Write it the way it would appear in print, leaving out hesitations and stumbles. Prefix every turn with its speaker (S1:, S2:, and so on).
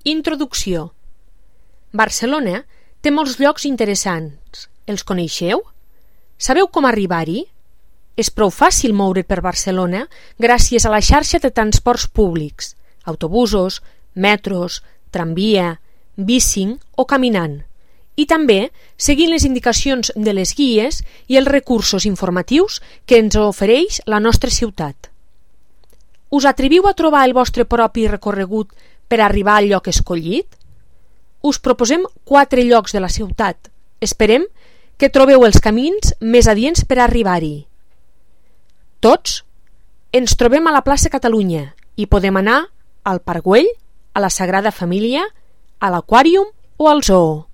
S1: Introducció. Barcelona té molts llocs interessants. Els coneixeu? Sabeu com arribar-hi? És prou fàcil moure per Barcelona gràcies a la xarxa de transports públics, autobusos, metros, tramvia, bicing o caminant, i també seguint les indicacions de les guies i els recursos informatius que ens ofereix la nostra ciutat. Us atreviu a trobar el vostre propi recorregut per arribar al lloc escollit? Us proposem 4 llocs de la ciutat. Esperem que trobeu els camins més adients per arribar-hi. Tots ens trobem a la plaça Catalunya i podem anar al Parc Güell, a la Sagrada Família, a l'Aquàrium o al Zoo.